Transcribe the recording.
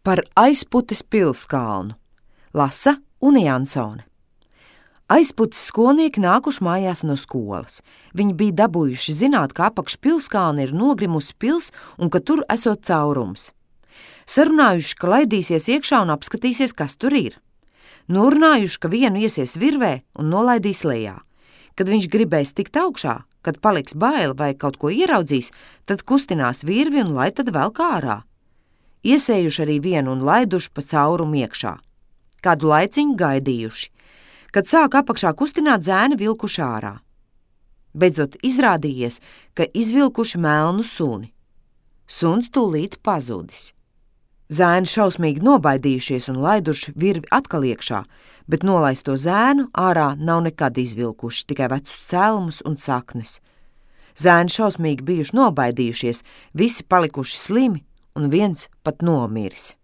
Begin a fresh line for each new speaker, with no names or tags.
Par aizputes pilskalnu lasa Une Jansone. Aizputes skolnieki nākuši mājās no skolas. Viņi bija dabūjuši zināt, ka apakš pilskalna ir nogrimusi pils un ka tur esot caurums. Sarunājuši, ka laidīsies iekšā un apskatīsies, kas tur ir. Norunājuši, ka vienu iesies virvē un nolaidīs lejā. Kad viņš gribēs tikt augšā, kad paliks baila vai kaut ko ieraudzīs, tad kustinās virvi un lai tad velk ārā. Iesējuši arī vienu un laiduši pa caurumu iekšā. Kādu laiciņu gaidījuši. Kad sāk apakšā kustināt, zēni vilkuši ārā. Beidzot izrādījies, ka izvilkuši melnu suni. Suns tūlīt pazudis. Zēni šausmīgi nobaidījušies un laiduši virvi atkal iekšā, bet nolaisto zēnu ārā nav nekad izvilkuši, tikai vecus cēlumus un saknes. Zēni šausmīgi bijuši nobaidījušies, visi palikuši slimi un viens pat nomiris.